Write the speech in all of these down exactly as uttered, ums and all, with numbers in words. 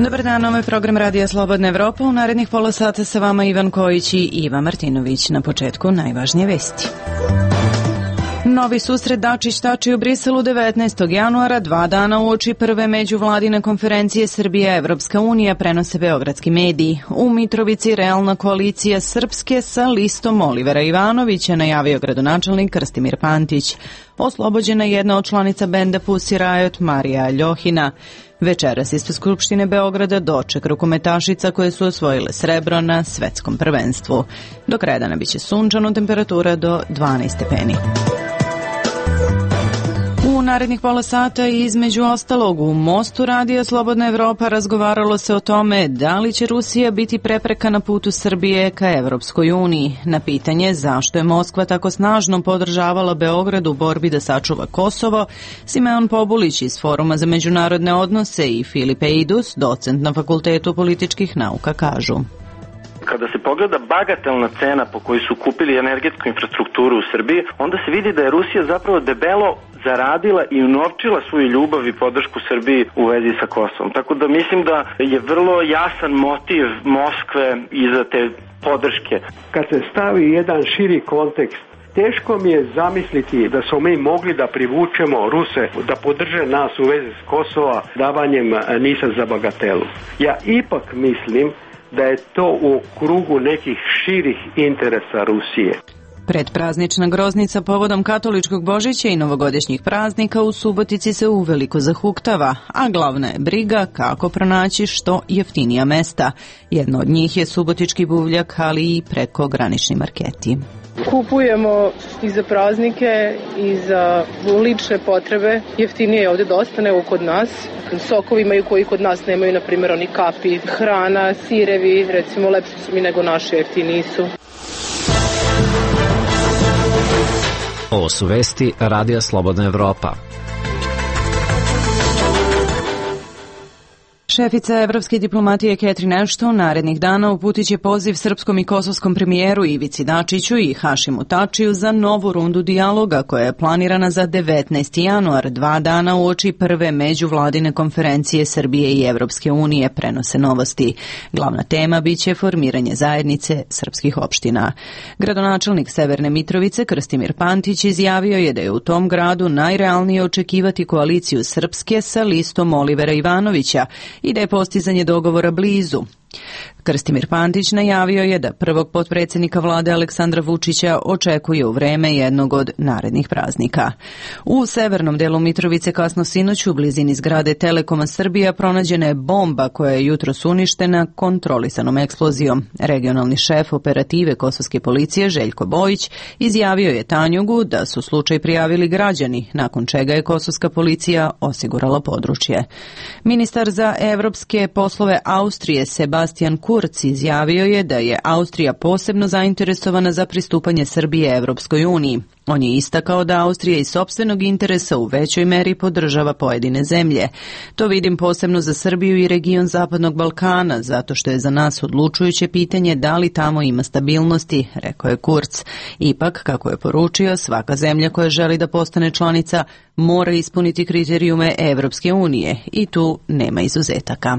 Dobar dan, ovo je program Radija Slobodna Evropa. U narednih pola sata sa vama Ivan Kojić i Iva Martinović. Na početku najvažnije vesti. Novi susret Dačić-Tači u Briselu devetnaestog januara, dva dana uoči prve međuvladine konferencije Srbija-Evropska unija, prenose beogradski mediji. U Mitrovici realna koalicija Srpske sa listom Olivera Ivanovića, najavio gradonačelnik Krstimir Pantić. Oslobođena jedna od članica benda Pussy Riot, Marija Ljohina. Večeras ispred Skupštine Beograda doček rukometašica koje su osvojile srebro na svetskom prvenstvu. Do kraja dana biće sunčano, temperatura do dvanaest stepeni. U narednih pola sata i između ostalog u Mostu Radija Slobodna Evropa razgovaralo se o tome da li će Rusija biti prepreka na putu Srbije ka Evropskoj uniji. Na pitanje zašto je Moskva tako snažno podržavala Beograd u borbi da sačuva Kosovo, Simeon Pobulić iz Foruma za međunarodne odnose i Filipe Idus, docent na Fakultetu političkih nauka, kažu. Kada se pogleda bagatelna cena po kojoj su kupili energetsku infrastrukturu u Srbiji, onda se vidi da je Rusija zapravo debelo zaradila i unovčila svoju ljubav i podršku Srbiji u vezi sa Kosovom. Tako da mislim da je vrlo jasan motiv Moskve iza te podrške. Kad se stavi jedan širi kontekst, teško mi je zamisliti da smo mi mogli da privučemo Ruse da podrže nas u vezi s Kosova davanjem NIS-a za bagatelu. Ja ipak mislim da je to u krugu nekih širih interesa Rusije. Predpraznična groznica povodom katoličkog Božića i novogodišnjih praznika u Subotici se uveliko zahuktava, a glavna je briga kako pronaći što jeftinija mesta. Jedno od njih je subotički buvljak, ali i prekogranični marketi. Kupujemo i za praznike i za lične potrebe. Jeftinije je ovde dosta nego kod nas. Sokovi imaju koji kod nas nemaju, na primjer oni kapi, hrana, sirevi, recimo lepši su mi nego naše, jeftiniji su. Ovo su vesti Radija Slobodna Evropa. Šefica evropske diplomatije Catherine Ashton narednih dana uputit će poziv srpskom i kosovskom premijeru Ivici Dačiću i Hašimu Tačiju za novu rundu dijaloga koja je planirana za devetnaesti januar, dva dana uoči prve međuvladine konferencije Srbije i Evropske unije, prenose Novosti. Glavna tema biće formiranje zajednice srpskih opština. Gradonačelnik Severne Mitrovice Krstimir Pantić izjavio je da je u tom gradu najrealnije očekivati koaliciju Srpske sa listom Olivera Ivanovića i da je postizanje dogovora blizu. Krstimir Pantić najavio je da prvog potpredsjednika vlade Aleksandra Vučića očekuje u vreme jednog od narednih praznika. U severnom delu Mitrovice kasno sinoć u blizini zgrade Telekoma Srbija pronađena je bomba koja je jutros uništena kontrolisanom eksplozijom. Regionalni šef operative kosovske policije Željko Bojić izjavio je Tanjugu da su slučaj prijavili građani, nakon čega je kosovska policija osigurala područje. Ministar za evropske poslove Austrije Sebastian Kurz izjavio je da je Austrija posebno zainteresovana za pristupanje Srbije Evropskoj uniji. On je istakao da Austrija iz sopstvenog interesa u većoj meri podržava pojedine zemlje. To vidim posebno za Srbiju i region Zapadnog Balkana, zato što je za nas odlučujuće pitanje da li tamo ima stabilnosti, rekao je Kurz. Ipak, kako je poručio, svaka zemlja koja želi da postane članica mora ispuniti kriterijume Evropske unije i tu nema izuzetaka.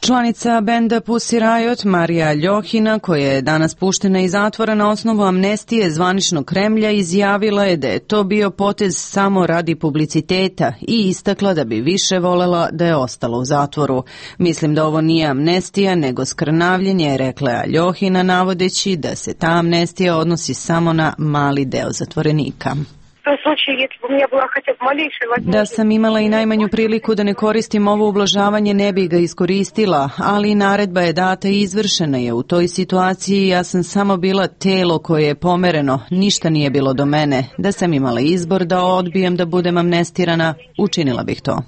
Članica benda Pussy Riot, Marija Ljohina, koja je danas puštena iz zatvora na osnovu amnestije zvaničnog Kremlja, izjavila je da je to bio potez samo radi publiciteta i istakla da bi više volela da je ostala u zatvoru. Mislim da ovo nije amnestija, nego skrnavljenje, rekla je Ljohina, navodeći da se ta amnestija odnosi samo na mali deo zatvorenika. Da sam imala i najmanju priliku da ne koristim ovo ublažavanje, ne bi ga iskoristila, ali naredba je data i izvršena je. U toj situaciji ja sam samo bila telo koje je pomereno, ništa nije bilo do mene. Da sam imala izbor da odbijem da budem amnestirana, učinila bih to.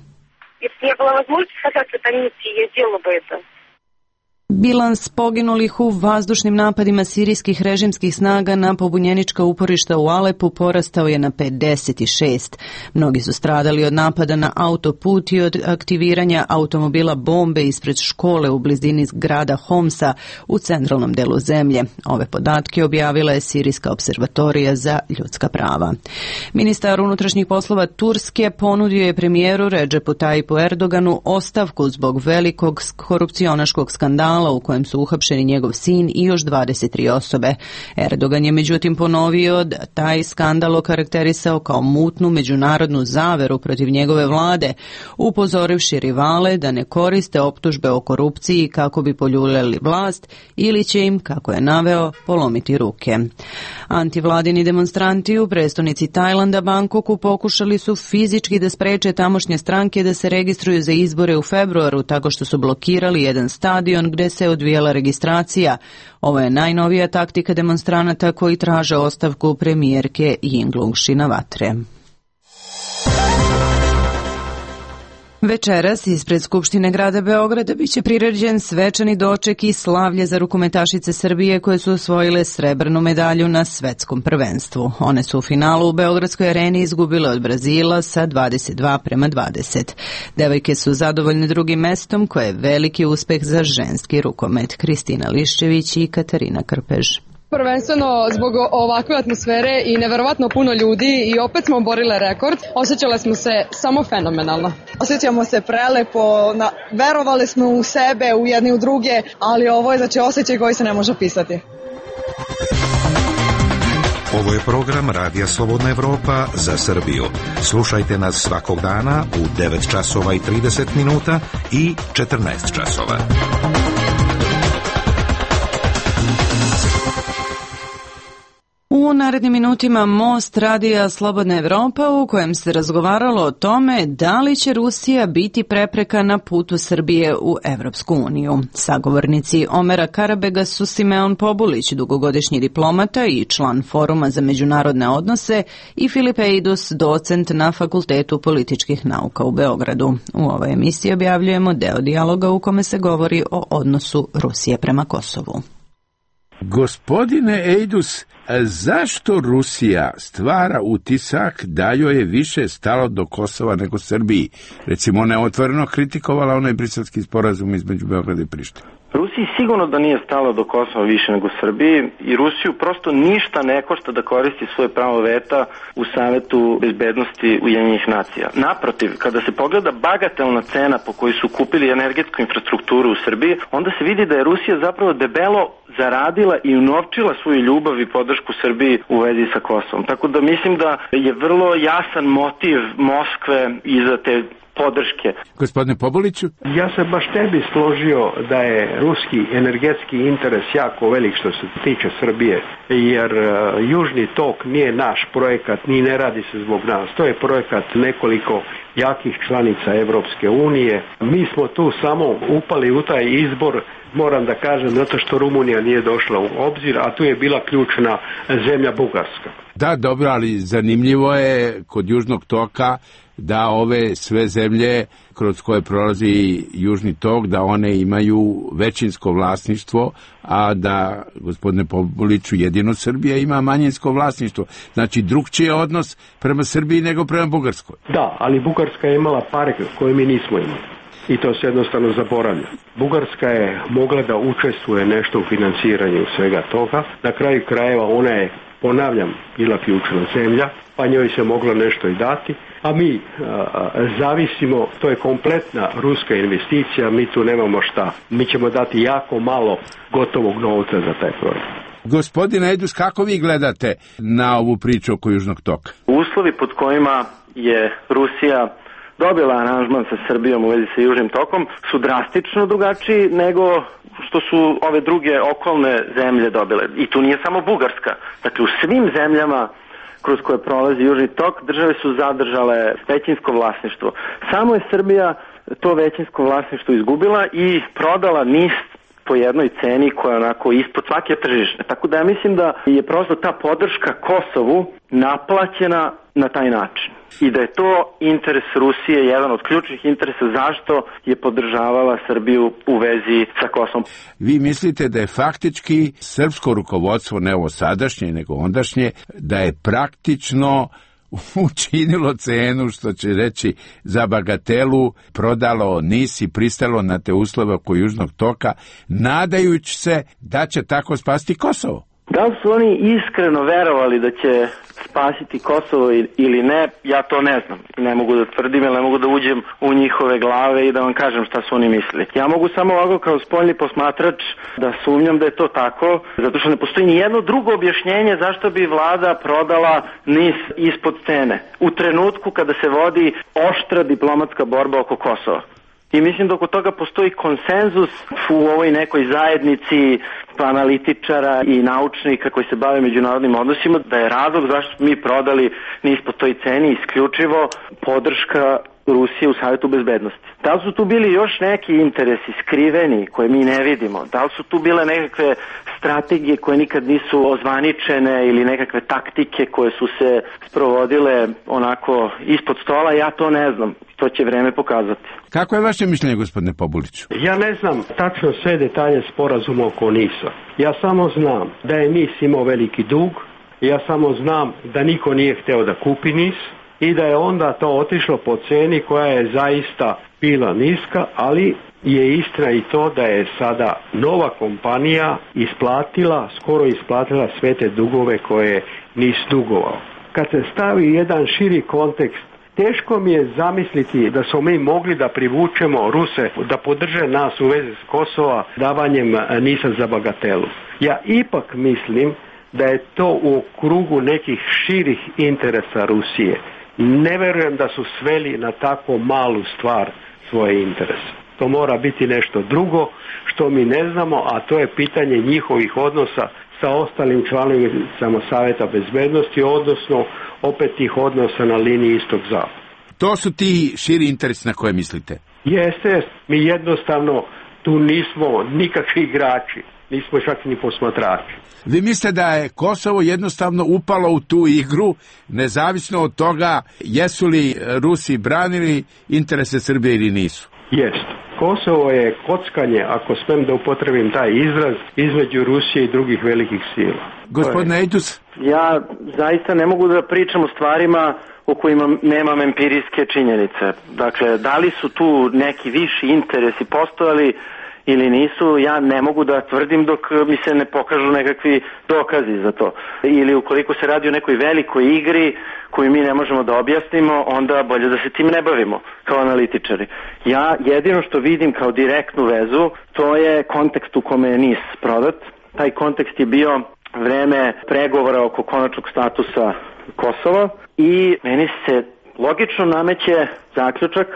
Bilans poginulih u vazdušnim napadima sirijskih režimskih snaga na pobunjenička uporišta u Alepu porastao je na pedeset šest. Mnogi su stradali od napada na autoput i od aktiviranja automobila bombe ispred škole u blizini grada Homsa u centralnom delu zemlje. Ove podatke objavila je Sirijska observatorija za ljudska prava. Ministar unutrašnjih poslova Turske ponudio je premijeru Redžepu Tajipu Erdoganu ostavku zbog velikog korupcionaškog skandala u kojem su uhapšeni njegov sin i još dvadeset tri osobe. Erdogan je međutim ponovio da taj skandal okarakterisao kao mutnu međunarodnu zaveru protiv njegove vlade, upozorivši rivale da ne koriste optužbe o korupciji kako bi poljuljali vlast ili će im, kako je naveo, polomiti ruke. Antivladini demonstranti u prestonici Tajlanda, Bangkoku, pokušali su fizički da spreče tamošnje stranke da se registruju za izbore u februaru tako što su blokirali jedan stadion gde se odvijala registracija. Ovo je najnovija taktika demonstranata koji traže ostavku premijerke Yingluck Shinawatre. Večeras ispred Skupštine grada Beograda biće priređen svečani doček i slavlje za rukometašice Srbije koje su osvojile srebrnu medalju na svetskom prvenstvu. One su u finalu u Beogradskoj areni izgubile od Brazila sa dvadeset dva prema dvadeset. Devojke su zadovoljne drugim mestom koje je veliki uspeh za ženski rukomet. Kristina Liščević i Katarina Krpež. Prvenstveno zbog ovakve atmosfere i neverovatno puno ljudi i opet smo oborile rekord. Osjećale smo se samo fenomenalno. Osjećamo se prelepo, na, verovali smo u sebe, u jedni u druge, ali ovo je znači osjećaj koji se ne može opisati. Ovo je program Radija Slobodna Evropa za Srbiju. Slušajte nas svakog dana u devet časova i trideset minuta i četrnaest časova. U narednim minutima Most Radija Slobodna Evropa u kojem se razgovaralo o tome da li će Rusija biti prepreka na putu Srbije u Evropsku uniju. Sagovornici Omera Karabega su Simeon Pobulić, dugogodišnji diplomata i član Foruma za međunarodne odnose, i Filip Eidus, docent na Fakultetu političkih nauka u Beogradu. U ovoj emisiji objavljujemo deo dijaloga u kome se govori o odnosu Rusije prema Kosovu. Gospodine Eidus, zašto Rusija stvara utisak da joj je više stalo do Kosova nego Srbiji? Recimo, ona je otvoreno kritikovala onaj briselski sporazum između Beograda i Prištine. Rusiji sigurno da nije stalo do Kosova više nego Srbiji i Rusiju prosto ništa ne košta da koristi svoje pravo veta u Savetu bezbednosti Ujedinjenih nacija. Naprotiv, kada se pogleda bagatelna cena po kojoj su kupili energetsku infrastrukturu u Srbiji, onda se vidi da je Rusija zapravo debelo zaradila i unovčila svoju ljubav i podršku Srbiji u vezi sa Kosovom. Tako da mislim da je vrlo jasan motiv Moskve iza te podrške. Gospodine Pobuliću? Ja se baš ne bi složio da je ruski energetski interes jako velik što se tiče Srbije, jer uh, Južni tok nije naš projekat, ni ne radi se zbog nas. To je projekat nekoliko jakih članica Evropske unije. Mi smo tu samo upali u taj izbor, moram da kažem, zato što Rumunija nije došla u obzir, a tu je bila ključna zemlja Bugarska. Da, dobro, ali zanimljivo je kod Južnog toka da ove sve zemlje kroz koje prolazi Južni tok, da one imaju većinsko vlasništvo, a da, gospodine Pobuliću, jedino Srbija ima manjinsko vlasništvo. Znači, drugčiji je odnos prema Srbiji nego prema Bugarskoj. Da, ali Bugarska je imala pare koje mi nismo imali. I to se jednostavno zaboravlja. Bugarska je mogla da učestvuje nešto u financiranju svega toga. Na kraju krajeva ona je, ponavljam, bila ključna zemlja, pa njoj se moglo nešto i dati, a mi a, a, zavisimo, to je kompletna ruska investicija, mi tu nemamo šta. Mi ćemo dati jako malo gotovog novca za taj projekt. Gospodine Eidus, kako vi gledate na ovu priču oko Južnog toka? Uslovi pod kojima je Rusija dobila aranžman sa Srbijom u vezi sa Južnim tokom su drastično drugačiji nego što su ove druge okolne zemlje dobile. I tu nije samo Bugarska. Dakle, u svim zemljama kroz koje prolazi Južni tok države su zadržale većinsko vlasništvo. Samo je Srbija to većinsko vlasništvo izgubila i prodala niz po jednoj ceni koja je onako ispod svake tržišne. Tako da ja mislim da je prosto ta podrška Kosovu naplaćena na taj način. I da je to interes Rusije, jedan od ključnih interesa zašto je podržavala Srbiju u vezi sa Kosovom. Vi mislite da je faktički srpsko rukovodstvo, ne ovo sadašnje, nego ondašnje, da je praktično učinilo cenu, što će reći, za bagatelu, prodalo NIS i pristalo na te uslove oko Južnog toka, nadajući se da će tako spasti Kosovo? Da li su oni iskreno verovali da će spasiti Kosovo ili ne, ja to ne znam. Ne mogu da tvrdim, jer ne mogu da uđem u njihove glave i da vam kažem šta su oni mislili. Ja mogu samo ovako kao spoljni posmatrač da sumnjam da je to tako, zato što ne postoji ni jedno drugo objašnjenje zašto bi vlada prodala NIS ispod cene u trenutku kada se vodi oštra diplomatska borba oko Kosova. I mislim da oko toga postoji konsenzus u ovoj nekoj zajednici analitičara i naučnika koji se bave međunarodnim odnosima, da je razlog zašto mi prodali NIS po toj ceni isključivo podrška Rusije u Savetu bezbednosti. Da li su tu bili još neki interesi skriveni koje mi ne vidimo? Da li su tu bile nekakve strategije koje nikad nisu ozvaničene ili nekakve taktike koje su se sprovodile onako ispod stola? Ja to ne znam. To će vreme pokazati. Kako je vaše mišljenje, gospodine Pobuliću? Ja ne znam tačno sve detalje sporazuma oko NIS-a. Ja samo znam da je NIS imao veliki dug, ja samo znam da niko nije hteo da kupi NIS i da je onda to otišlo po ceni koja je zaista bila niska, ali je istina i to da je sada nova kompanija isplatila, skoro isplatila sve te dugove koje je NIS dugovao. Kad se stavi jedan širi kontekst, teško mi je zamisliti da smo mi mogli da privučemo Ruse da podrže nas u vezi s Kosova davanjem NIS-a za bagatelu. Ja ipak mislim da je to u krugu nekih širih interesa Rusije. Ne verujem da su sveli na tako malu stvar svoje interese. To mora biti nešto drugo što mi ne znamo, a to je pitanje njihovih odnosa sa ostalim članovima Saveta bezbednosti, odnosno opet tih odnosa na liniji istok-zapad. To su ti širi interesi na koje mislite? Jeste, mi jednostavno tu nismo nikakvi igrači, nismo čak ni posmatrači. Vi mislite da je Kosovo jednostavno upalo u tu igru, nezavisno od toga jesu li Rusi branili interese Srbije ili nisu? Jeste. Kosovo je kockanje, ako smem da upotrebim taj izraz, između Rusije i drugih velikih sila. Gospodine Ejdus? Ja zaista ne mogu da pričam o stvarima o kojima nemam empirijske činjenice. Dakle, da li su tu neki viši interesi postojali ili nisu, ja ne mogu da tvrdim dok mi se ne pokažu nekakvi dokazi za to. Ili ukoliko se radi o nekoj velikoj igri koju mi ne možemo da objasnimo, onda bolje da se tim ne bavimo kao analitičari. Ja jedino što vidim kao direktnu vezu, to je kontekst u kome je NIS prodat. Taj kontekst je bio vreme pregovora oko konačnog statusa Kosova i meni se logično nameće zaključak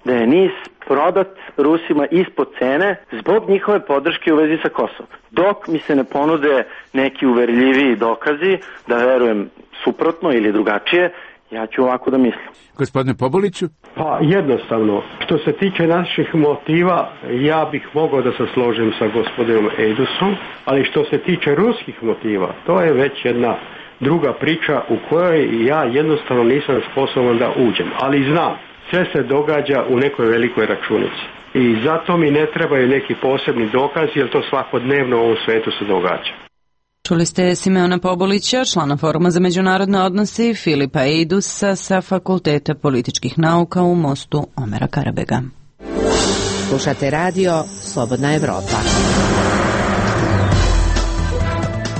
da je NIS prodat Rusima ispod cene zbog njihove podrške u vezi sa Kosovom. Dok mi se ne ponude neki uverljiviji dokazi da verujem suprotno ili drugačije, ja ću ovako da mislim. Gospodine Pobuliću? Pa jednostavno, što se tiče naših motiva, ja bih mogao da se složim sa gospodinom Ejdusom, ali što se tiče ruskih motiva, to je već jedna druga priča u kojoj ja jednostavno nisam sposoban da uđem, ali znam. Sve se događa u nekoj velikoj računici. I zato mi ne trebaju neki posebni dokazi, jer to svakodnevno u ovom svetu se događa. Čuli ste Simeona Pobulića, člana Foruma za međunarodne odnose, i Filipa Ejdusa sa Fakulteta političkih nauka u Mostu Omera Karabega. Slušate radio Slobodna Evropa.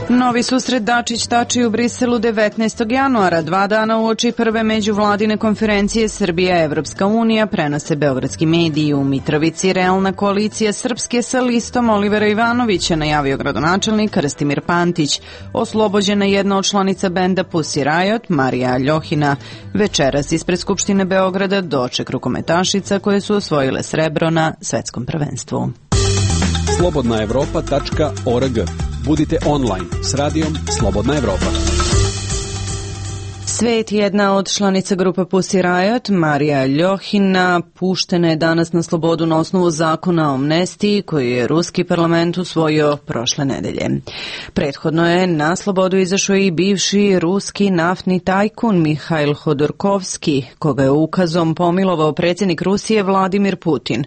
Novi susret Dačić-Tači u Briselu devetnaestog januara, dva dana uoči prve međuvladine konferencije Srbija-Evropska unija, prenose beogradski mediji. U Mitrovici realna koalicija Srpske sa listom Olivera Ivanovića, najavio gradonačelnik Krstimir Pantić. Oslobođena jedna od članica benda Pussy Riot, Marija Ljohina. Večeras ispred Skupštine Beograda doček rukometašica koje su osvojile srebro na svetskom prvenstvu. slobodna evropa tačka org. Budite online s radijom Slobodna Evropa. Svet, jedna od članica grupe Pussy Riot, Marija Ljohina, puštena je danas na slobodu na osnovu zakona o amnestiji koji je ruski parlament usvojio prošle nedelje. Prethodno je na slobodu izašao i bivši ruski naftni tajkun Mihail Hodorkovski, koga je ukazom pomilovao predsjednik Rusije Vladimir Putin.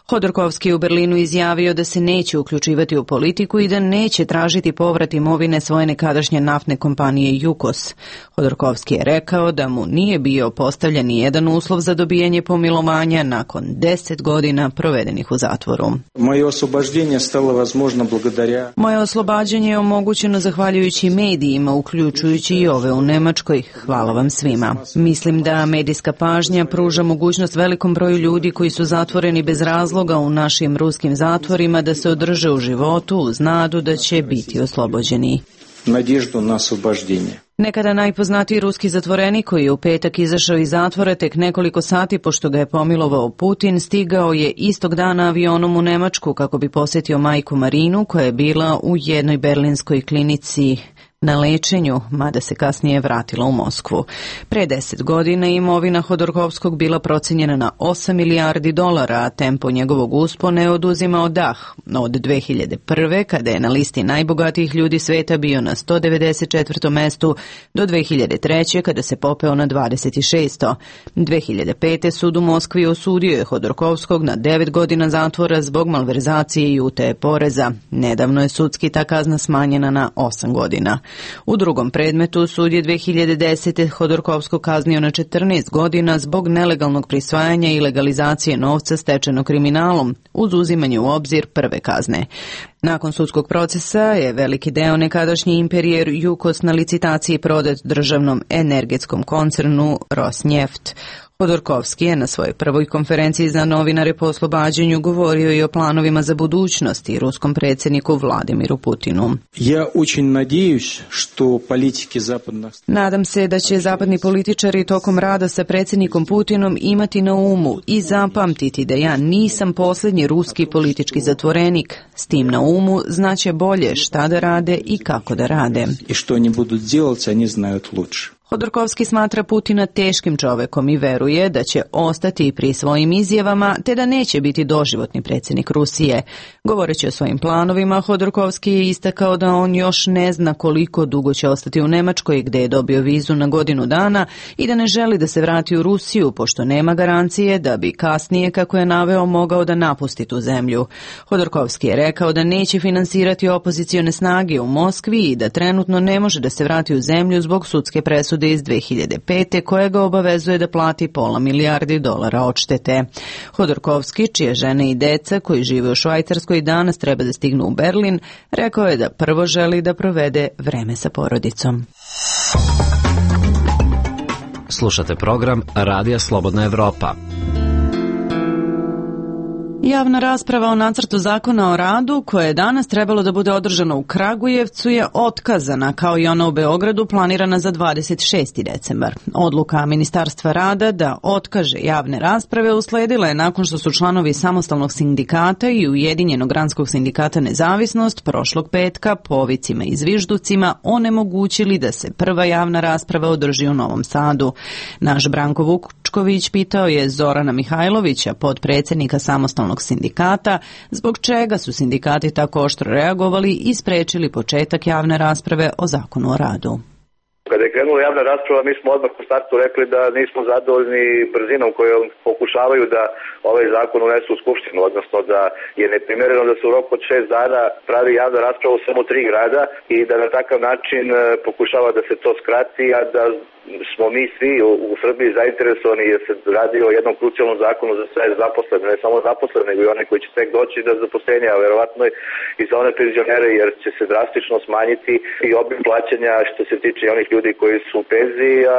Hodorkovski u Berlinu izjavio da se neće uključivati u politiku i da neće tražiti povrat imovine svoje nekadašnje naftne kompanije Jukos. Hodorkovski je rekao da mu nije bio postavljen ni jedan uslov za dobijanje pomilovanja nakon deset godina provedenih u zatvoru. Moje oslobađenje stalo возможно благодаря. Moje oslobađanje je omogućeno zahvaljujući medijima, uključujući i ove u Nemačkoj. Hvala vam svima. Mislim da medijska pažnja pruža mogućnost velikom broju ljudi koji su zatvoreni bez razloga u našim ruskim zatvorima da se održe u životu uz nadu da će biti oslobođeni. Надежду на освобождение. Nekada najpoznatiji ruski zatvorenik koji je u petak izašao iz zatvora tek nekoliko sati pošto ga je pomilovao Putin, stigao je istog dana avionom u Nemačku kako bi posjetio majku Marinu koja je bila u jednoj berlinskoj klinici na lečenju, mada se kasnije vratila u Moskvu. Pre deset godina imovina Hodorkovskog bila procijenjena na osam milijardi dolara, a tempo njegovog uspona je oduzimao dah. Od dve hiljade prve. kada je na listi najbogatijih ljudi sveta bio na sto devedeset četvrtom mestu, do dve hiljade treće. kada se popeo na dvadeset šesto dve hiljade pete. sud u Moskvi osudio je Hodorkovskog na devet godina zatvora zbog malverzacije i utaje poreza. Nedavno je sudski ta kazna smanjena na osam godina. U drugom predmetu sud je dve hiljade desete. Hodorkovskog kaznio na četrnaest godina zbog nelegalnog prisvajanja i legalizacije novca stečenog kriminalom, uz uzimanje u obzir prve kazne. Nakon sudskog procesa je veliki deo nekadašnji imperijer Jukos na licitaciji prodat državnom energetskom koncernu Rosneft. Hodorkovski je na svojoj prvoj konferenciji za novinare po oslobađanju govorio i o planovima za budućnost i ruskom predsjedniku Vladimiru Putinu. Ja очень надеюсь, что политики западных... Nadam se da će zapadni političari tokom rada sa predsjednikom Putinom imati na umu i zapamtiti da ja nisam posljednji ruski politički zatvorenik. S tim na umu znaće bolje šta da rade i kako da rade. I što oni budu делать, они знают лучше. Hodorkovski smatra Putina teškim čovekom i veruje da će ostati pri svojim izjavama te da neće biti doživotni predsjednik Rusije. Govoreći o svojim planovima, Hodorkovski je istakao da on još ne zna koliko dugo će ostati u Nemačkoj gdje je dobio vizu na godinu dana i da ne želi da se vrati u Rusiju pošto nema garancije da bi kasnije, kako je naveo, mogao da napusti tu zemlju. Hodorkovski je rekao da neće finansirati opozicione snage u Moskvi i da trenutno ne može da se vrati u zemlju zbog sudske presude iz dve hiljade pete. koja ga obavezuje da plati pola milijardi dolara odštete. Hodorkovski, čije žene i deca koji žive u Švajcarskoj danas treba da stignu u Berlin, rekao je da prvo želi da provede vreme sa porodicom. Slušate program Radija Slobodna Evropa. Javna rasprava o nacrtu zakona o radu, koja je danas trebalo da bude održana u Kragujevcu, je otkazana, kao i ona u Beogradu planirana za dvadeset šesti decembar. Odluka Ministarstva rada da otkaže javne rasprave usledila je nakon što su članovi Samostalnog sindikata i Ujedinjenog granskog sindikata Nezavisnost prošlog petka povicima i zvižducima onemogućili da se prva javna rasprava održi u Novom Sadu. Naš Branko Vučković pitao je Zorana Mihajlovića, podpredsjednika Samostalnog sindikata, zbog čega su sindikati tako oštro reagovali i sprečili početak javne rasprave o zakonu o radu. Kada je krenula javna rasprava, mi smo odmah u startu rekli da nismo zadovoljni brzinom kojom pokušavaju da ovaj zakon unesu u Skupštinu, odnosno da je neprimereno da se u roku od šest dana pravi javna rasprava u samo tri grada i da na takav način pokušava da se to skrati, a da smo mi svi u Srbiji zainteresovani jer se radi o jednom krucijalnom zakonu za sve zaposlene, ne samo zaposlene, nego i one koji će tek doći do zaposlenja, a verovatno i za one penzionere, jer će se drastično smanjiti i obim plaćanja što se tiče onih ljudi koji su u penziji, a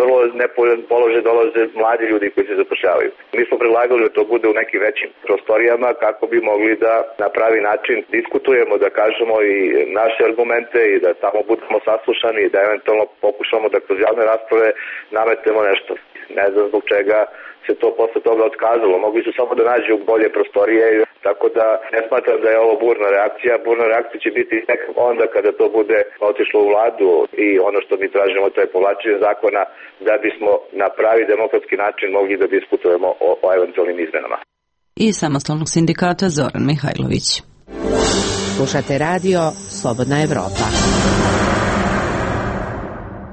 vrlo nepovoljan položaj dolaze mladi ljudi koji se zapošljavaju. Mi smo predlagali da to bude u nekim većim prostorijama kako bi mogli da na pravi način diskutujemo, da kažemo i naše argumente i da tamo budemo saslušani i da eventualno pokušamo da kroz javne rasprave nametnemo nešto. Ne znam zbog čega se to posle toga otkazalo. Mogli su samo da nađu bolje prostorije. Tako da ne smatram da je ovo burna reakcija. Burna reakcija će biti tek onda kada to bude otišlo u vladu i ono što mi tražimo to je povlačenje zakona da bismo na pravi demokratski način mogli da diskutujemo o, o eventualnim izmenama. I samostalnog sindikata Zoran Mihajlović. Slušate radio Slobodna Evropa.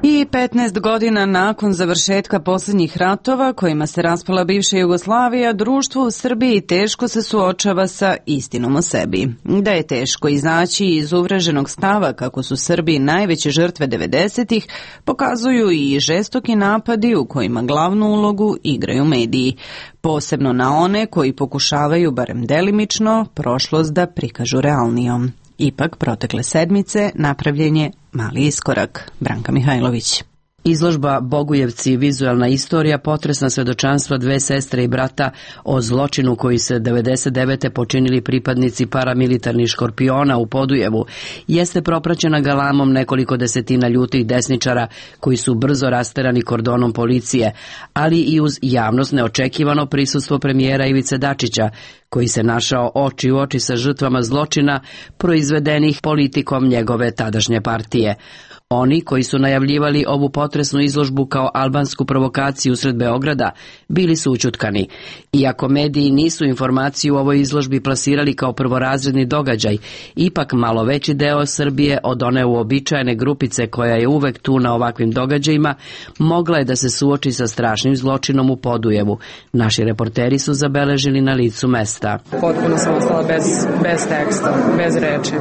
I petnaest godina nakon završetka posljednjih ratova kojima se raspala bivša Jugoslavija, društvo u Srbiji teško se suočava sa istinom o sebi. Da je teško izaći iz uvreženog stava kako su Srbi najveće žrtve devedesetih, pokazuju i žestoki napadi u kojima glavnu ulogu igraju mediji. Posebno na one koji pokušavaju, barem delimično, prošlost da prikažu realnijom. Ipak, protekle sedmice napravljen je mali iskorak. Branka Mihajlović. Izložba Bogujevci, vizualna istorija, potresna svedočanstva dve sestre i brata o zločinu koji se devedeset devete počinili pripadnici paramilitarnih škorpiona u Podujevu, jeste propraćena galamom nekoliko desetina ljutih desničara koji su brzo rasterani kordonom policije, ali i uz javnost neočekivano prisustvo premijera Ivice Dačića, koji se našao oči u oči sa žrtvama zločina proizvedenih politikom njegove tadašnje partije. Oni koji su najavljivali ovu potresnu izložbu kao albansku provokaciju usred Beograda bili su ućutkani. Iako mediji nisu informaciju o ovoj izložbi plasirali kao prvorazredni događaj, ipak malo veći deo Srbije od one uobičajene grupice koja je uvek tu na ovakvim događajima mogla je da se suoči sa strašnim zločinom u Podujevu. Naši reporteri su zabeležili na licu mesta. Potpuno sam ostala bez, bez teksta, bez reči.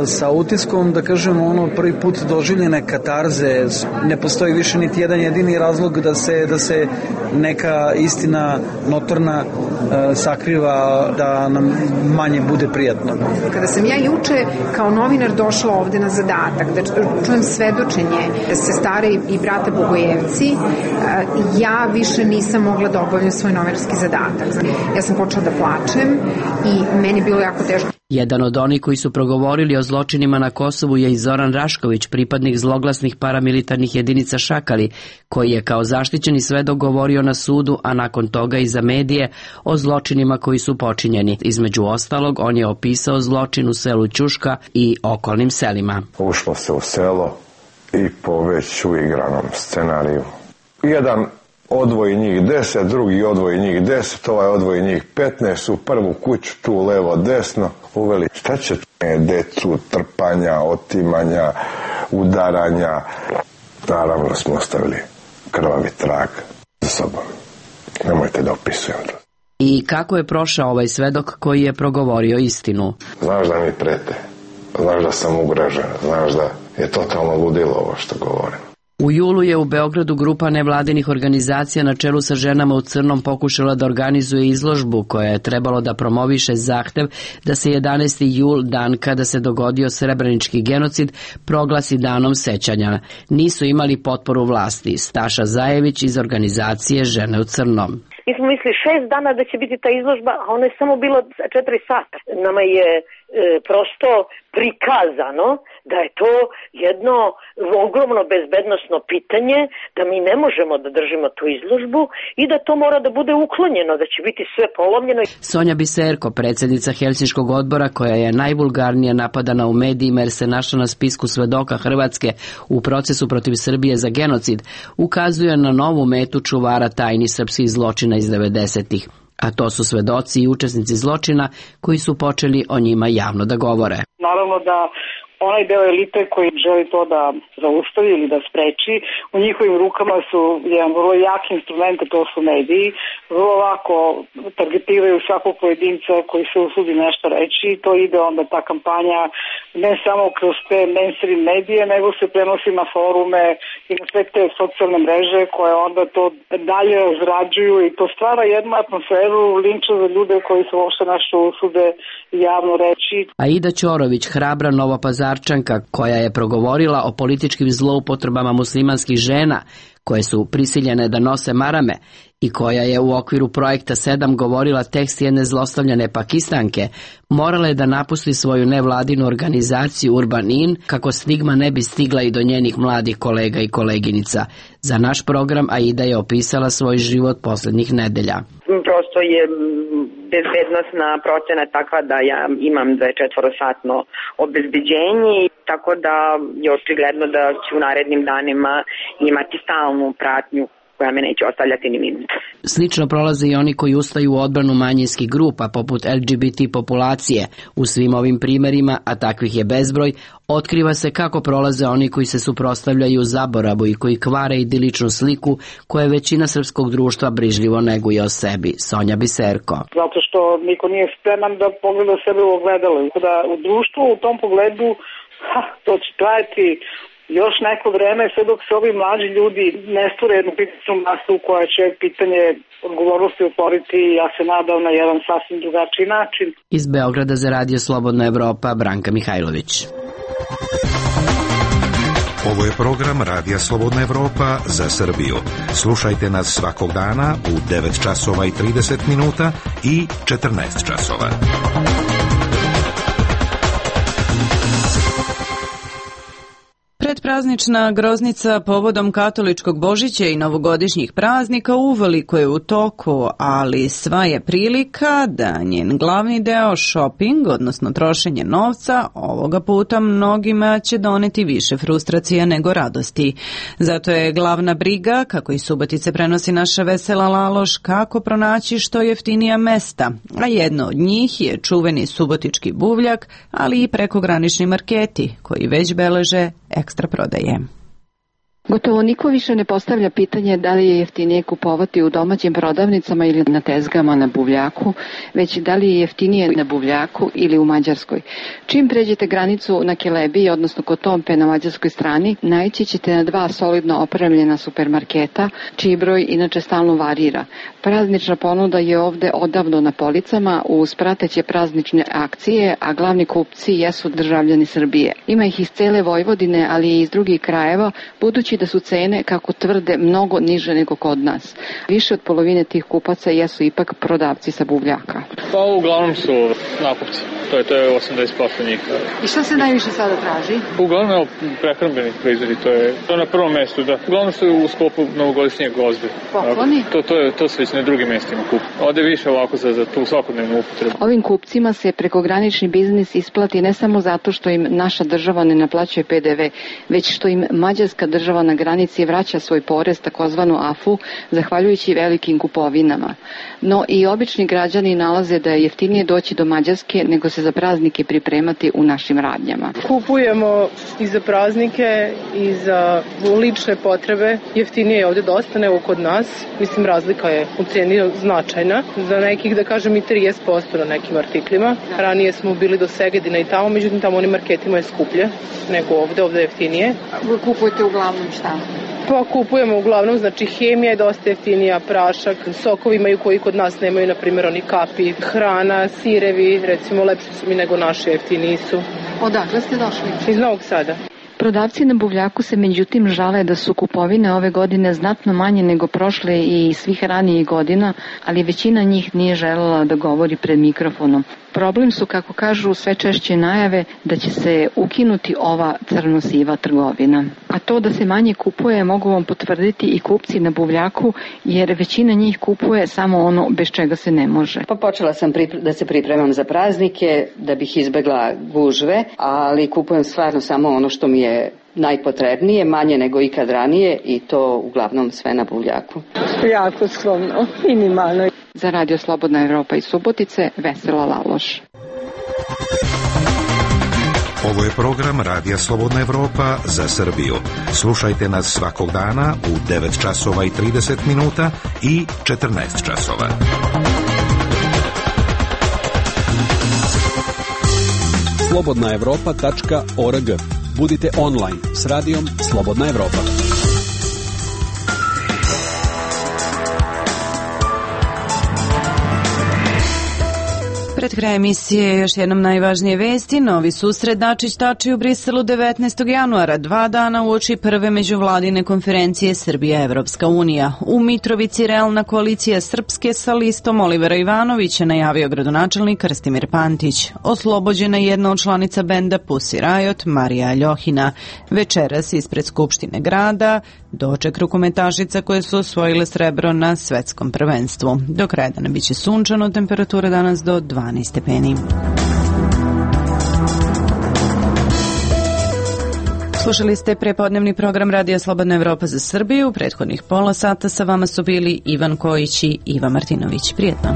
Sa utiskom, da kažemo, ono prvi put doživljene katarze, ne postoji više niti jedan jedini razlog da se, da se neka istina notorna e, sakriva, da nam manje bude prijatno. Kada sam ja juče kao novinar došla ovde na zadatak da čujem svedočenje sestare i brata Bogojevci, e, ja više nisam mogla da obavljam svoj novinarski zadatak. Ja sam počela da plačem i meni je bilo jako teško. Jedan od onih koji su progovorili o zločinima na Kosovu je i Zoran Rašković, pripadnik zloglasnih paramilitarnih jedinica Šakali, koji je kao zaštićeni svedok govorio na sudu, a nakon toga i za medije, o zločinima koji su počinjeni. Između ostalog, on je opisao zločin u selu Ćuška i okolnim selima. Ušlo se u selo i po već uigranom scenariju. Jedan odvoji njih deset, drugi odvoji njih deset, ovaj odvoji njih petnaest, u prvu kuću tu levo desno uveli. Šta će decu, trpanja, otimanja, udaranja? Naravno smo ostavili krvavi trag za sobom. Nemojte da opisujem to. I kako je prošao ovaj svedok koji je progovorio istinu? Znaš da mi prete, znaš da sam ugrožen, znaš da je totalno ludilo ovo što govorim. U julu je u Beogradu grupa nevladinih organizacija na čelu sa ženama u crnom pokušala da organizuje izložbu koja je trebalo da promoviše zahtev da se jedanaesti jul, dan kada se dogodio srebrenički genocid, proglasi danom sećanja. Nisu imali potporu vlasti. Staša Zajević iz organizacije Žene u crnom. Mi smo mislili šest dana da će biti ta izložba, a ono je samo bilo četiri sata. Nama je e, prosto prikazano da je to jedno ogromno bezbednosno pitanje, da mi ne možemo da držimo tu izložbu i da to mora da bude uklonjeno, da će biti sve polomljeno. Sonja Biserko, predsjednica Helsinškog odbora, koja je najvulgarnije napadana u medijima jer se našla na spisku svedoka Hrvatske u procesu protiv Srbije za genocid, ukazuje na novu metu čuvara tajni srpskih zločina iz devedesetih. A to su svedoci i učesnici zločina koji su počeli o njima javno da govore. Naravno da onaj deo elite koji želi to da zaustavi ili da spreči, u njihovim rukama su jedan vrlo jak instrument, to su mediji, vrlo lako targetiraju svakog pojedinca koji se usudi nešto reći, to ide onda ta kampanja ne samo kroz te mainstream medije, nego se prenosi na forume i na sve te socijalne mreže koje onda to dalje razrađuju i to stvara jednu atmosferu linča za ljude koji se uopšte nešto usude javno reći. Aida Ćorović, hrabra novopazarčanka koja je progovorila o političkim zloupotrebama muslimanskih žena koje su prisiljene da nose marame i koja je u okviru projekta sedam govorila tekst jedne zlostavljane Pakistanke, morala je da napusti svoju nevladinu organizaciju Urban In kako stigma ne bi stigla i do njenih mladih kolega i koleginica. Za naš program Aida je opisala svoj život posljednjih nedelja. Prosto je bezbednostna procena takva da ja imam dvadesetčetvorosatno obezbeđenje, tako da je očigledno da ću u narednim danima imati stalnu pratnju koja me neće ostavljati ni minut. Slično prolaze i oni koji ustaju u odbranu manjinskih grupa, poput L G B T populacije. U svim ovim primerima, a takvih je bezbroj, otkriva se kako prolaze oni koji se suprotstavljaju zaboravu i koji kvare idiličnu sliku koje većina srpskog društva brižljivo neguje o sebi. Sonja Biserko. Zato što niko nije spreman da pogleda sebe u ogledalo. Da u društvu u tom pogledu, ha, to će trajati još neko vreme, sve dok se ovi mlađi ljudi ne stvore jednu pitanu masu koja će pitanje odgovornosti otvoriti, ja se nadam, na jedan sasvim drugačiji način. Iz Beograda za Radio Slobodna Evropa, Branka Mihajlović. Ovo je program Radija Slobodna Evropa za Srbiju. Slušajte nas svakog dana u devet časova i trideset minuta i četrnaest časova. Predpraznična groznica povodom katoličkog Božića i novogodišnjih praznika uveliko je u toku, ali sva je prilika da njen glavni deo shopping, odnosno trošenje novca, ovoga puta mnogima će doneti više frustracija nego radosti. Zato je glavna briga, kako i Subotice prenosi naša Vesela Laloš, kako pronaći što jeftinija mesta, a jedno od njih je čuveni subotički buvljak, ali i prekogranični marketi, koji već beleže ekstra prodaje. Gotovo niko više ne postavlja pitanje da li je jeftinije kupovati u domaćim prodavnicama ili na tezgama na buvljaku, već da li je jeftinije na buvljaku ili u Mađarskoj. Čim pređete granicu na Kelebiji, odnosno Kotompe na mađarskoj strani, naići ćete na dva solidno opremljena supermarketa, čiji broj inače stalno varira. Praznična ponuda je ovde odavno na policama uz prateće praznične akcije, a glavni kupci jesu državljani Srbije. Ima ih iz cele Vojvodine, ali i iz drugih krajeva, budući da su cene, kako tvrde, mnogo niže nego kod nas. Više od polovine tih kupaca jesu ipak prodavci sa buvljaka. Pa uglavnom su nakupci. To je, to je osamdeset posto njih. I šta se najviše sada traži? Uglavnom je prehrambeni proizvodi, to je, to je na prvom mestu, da. Uglavnom su u sklopu novogodišnjeg gozbe. Pokloni? To, to, je, to se već na drugim mestima kupu. Ode više ovako za, za tu svakodnevnu upotrebu. Ovim kupcima se prekogranični biznis isplati ne samo zato što im naša država ne naplaćuje P D V, već što im mađarska država na granici vraća svoj porez, takozvanu A F U, zahvaljujući velikim kupovinama. No i obični građani nalaze da je jeftinije doći do Mađarske nego se za praznike pripremati u našim radnjama. Kupujemo i za praznike i za lične potrebe. Jeftinije je ovde dosta nego kod nas. Mislim, razlika je u ceni značajna. Za nekih, da kažem, i trideset posto na nekim artiklima. Ranije smo bili do Segedina i tamo, međutim tamo onim marketima je skuplje nego ovde, ovde je jeftinije. Vi kupujete uglavnom šta? Pa kupujemo uglavnom, znači hemija je dosta jeftinija, prašak, sokovi imaju koji kod nas nemaju, na primjer oni kapi, hrana, sirevi, recimo lepši su mi nego naši, jeftiniji su. Odakle ste došli? Iz Novog Sada. Prodavci na buvljaku se međutim žale da su kupovine ove godine znatno manje nego prošle i svih ranijih godina, ali većina njih nije želela da govori pred mikrofonom. Problem su, kako kažu, sve češće najave da će se ukinuti ova crno-siva trgovina. A to da se manje kupuje mogu vam potvrditi i kupci na buvljaku, jer većina njih kupuje samo ono bez čega se ne može. Pa počela sam da se pripremam za praznike, da bih izbegla gužve, ali kupujem stvarno samo ono što mi je najpotrebnije, manje nego ikad ranije, i to uglavnom sve na buvljaku. Jako skromno, minimalno. Za Radio Slobodna Evropa iz Subotice, Vesela Laloš. Ovo je program Radija Slobodna Evropa za Srbiju. Slušajte nas svakog dana u devet časova i trideset minuta i četrnaest časova. slobodna evropa tačka org. Budite online s radijom Slobodna Evropa. Pred kraj emisije još jednom najvažnije vesti. Novi susret Dačić-Tači u Briselu devetnaestog januara, dva dana uoči prve međuvladine konferencije Srbija-Evropska unija. U Mitrovici realna koalicija Srpske sa listom Olivera Ivanovića, najavio gradonačelnik Krstimir Pantić. Oslobođena jedna od članica benda Pussy Riot, Marija Aljohina. Večeras ispred Skupštine grada doček rukometašica koje su osvojile srebro na svetskom prvenstvu. Do kraja dana biće sunčano, temperatura danas do dvanaest stepeni. Slušali ste prepodnevni program Radija Slobodna Evropa za Srbiju. U prethodnih pola sata sa vama su bili Ivan Kojić i Iva Martinović. Prijetno.